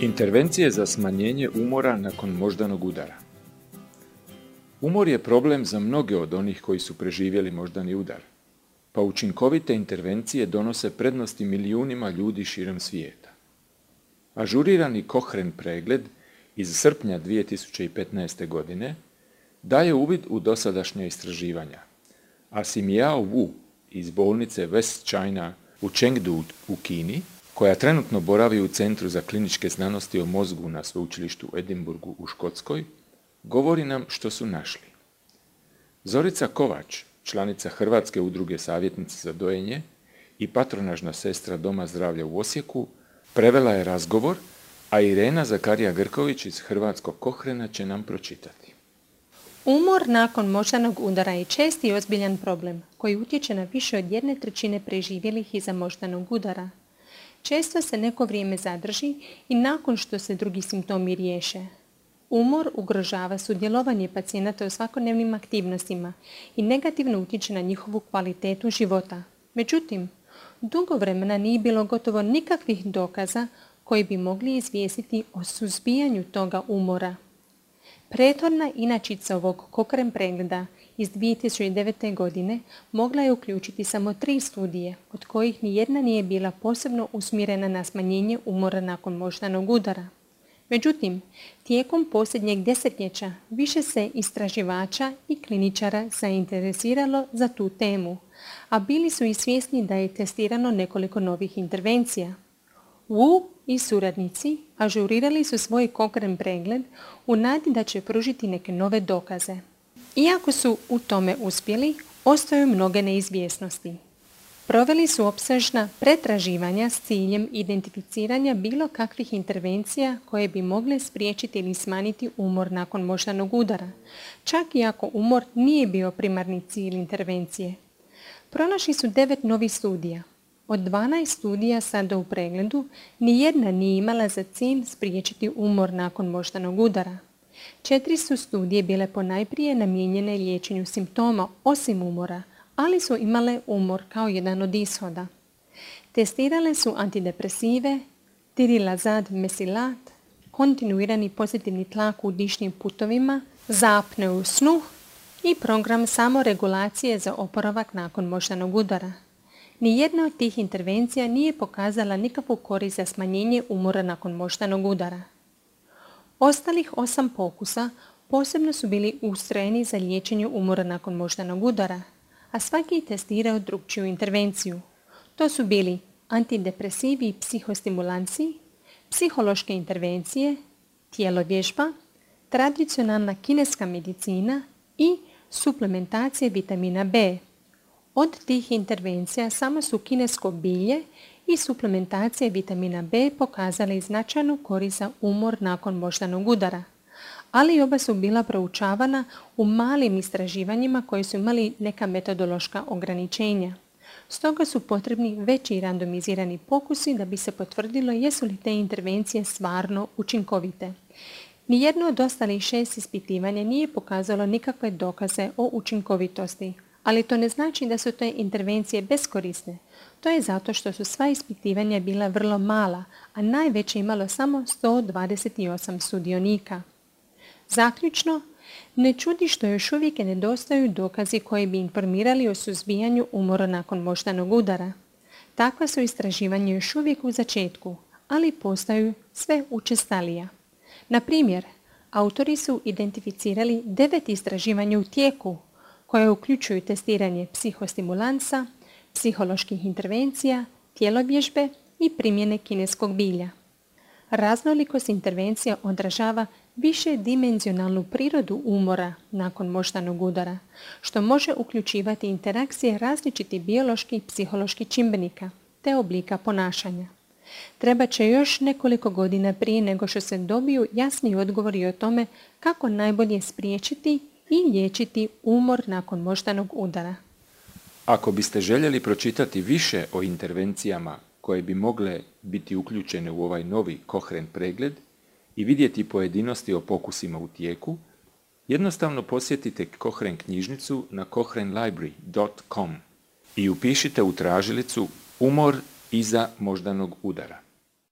Intervencije za smanjenje umora nakon moždanog udara. Umor je problem za mnoge od onih koji su preživjeli moždani udar, pa učinkovite intervencije donose prednosti milijunima ljudi širom svijeta. Ažurirani Cochrane pregled iz srpnja 2015. godine daje uvid u dosadašnja istraživanja, a Simiao Wu iz bolnice West China u Chengdu u Kini, koja trenutno boravi u Centru za kliničke znanosti o mozgu na sveučilištu u Edinburgu u Škotskoj, govori nam što su našli. Zorica Kovač, članica Hrvatske udruge savjetnice za dojenje i patronažna sestra Doma zdravlja u Osijeku, prevela je razgovor, a Irena Zakarija-Grković iz Hrvatskog Cochrana će nam pročitati. Umor nakon moždanog udara je česti i ozbiljan problem koji utječe na više od 1/3 preživjelih iza moždanog udara. Često se neko vrijeme zadrži i nakon što se drugi simptomi riješe. Umor ugrožava sudjelovanje pacijenata u svakodnevnim aktivnostima i negativno utječe na njihovu kvalitetu života. Međutim, dugo vremena nije bilo gotovo nikakvih dokaza koji bi mogli izvijestiti o suzbijanju toga umora. Prethodna inačica ovog Cochrane pregleda iz 2009. godine mogla je uključiti samo 3 studije, od kojih nijedna nije bila posebno usmjerena na smanjenje umora nakon moždanog udara. Međutim, tijekom posljednjeg desetljeća više se istraživača i kliničara zainteresiralo za tu temu, a bili su i svjesni da je testirano nekoliko novih intervencija. Wu i suradnici ažurirali su svoj Cochrane pregled u nadi da će pružiti neke nove dokaze. Iako su u tome uspjeli, ostaju mnoge neizvjesnosti. Proveli su opsežna pretraživanja s ciljem identificiranja bilo kakvih intervencija koje bi mogle spriječiti ili smanjiti umor nakon moždanog udara, čak i ako umor nije bio primarni cilj intervencije. Pronašli su 9 novih studija. Od 12 studija sada u pregledu, nijedna nije imala za cilj spriječiti umor nakon moždanog udara. 4 su studije bile ponajprije namijenjene liječenju simptoma osim umora, ali su imale umor kao jedan od ishoda. Testirale su antidepresive, tirilazad mesilat, kontinuirani pozitivni tlak u dišnim putovima, za apneu snu i program samoregulacije za oporavak nakon moždanog udara. Nijedna od tih intervencija nije pokazala nikakvu korist za smanjenje umora nakon moždanog udara. Ostalih 8 pokusa posebno su bili ustrojeni za liječenje umora nakon moždanog udara, a svaki je testirao drukčiju intervenciju. To su bili antidepresivi i psihostimulanci, psihološke intervencije, tjelovježba, tradicionalna kineska medicina i suplementacija vitamina B. Od tih intervencija samo su kinesko bilje i suplementacija vitamina B pokazali značajnu korist za umor nakon moždanog udara, ali oba su bila proučavana u malim istraživanjima koji su imali neka metodološka ograničenja. Stoga su potrebni veći randomizirani pokusi da bi se potvrdilo jesu li te intervencije stvarno učinkovite. Nijedno od ostalih 6 ispitivanja nije pokazalo nikakve dokaze o učinkovitosti, ali to ne znači da su te intervencije beskorisne. To je zato što su sva ispitivanja bila vrlo mala, a najveće imalo samo 128 sudionika. Zaključno, ne čudi što još uvijek nedostaju dokazi koji bi informirali o suzbijanju umora nakon moždanog udara. Takva su istraživanja još uvijek u začetku, ali postaju sve učestalija. Na primjer, autori su identificirali 9 istraživanja u tijeku, koje uključuju testiranje psihostimulansa, psiholoških intervencija, tjelovježbe i primjene kineskog bilja. Raznolikost intervencija odražava višedimenzionalnu prirodu umora nakon moždanog udara, što može uključivati interakcije različitih bioloških i psiholoških čimbenika te oblika ponašanja. Treba će još nekoliko godina prije nego što se dobiju jasni odgovori o tome kako najbolje spriječiti i liječiti umor nakon moždanog udara. Ako biste željeli pročitati više o intervencijama koje bi mogle biti uključene u ovaj novi Cochrane pregled i vidjeti pojedinosti o pokusima u tijeku, jednostavno posjetite Cochrane knjižnicu na cochranelibrary.com i upišite u tražilicu umor iza moždanog udara.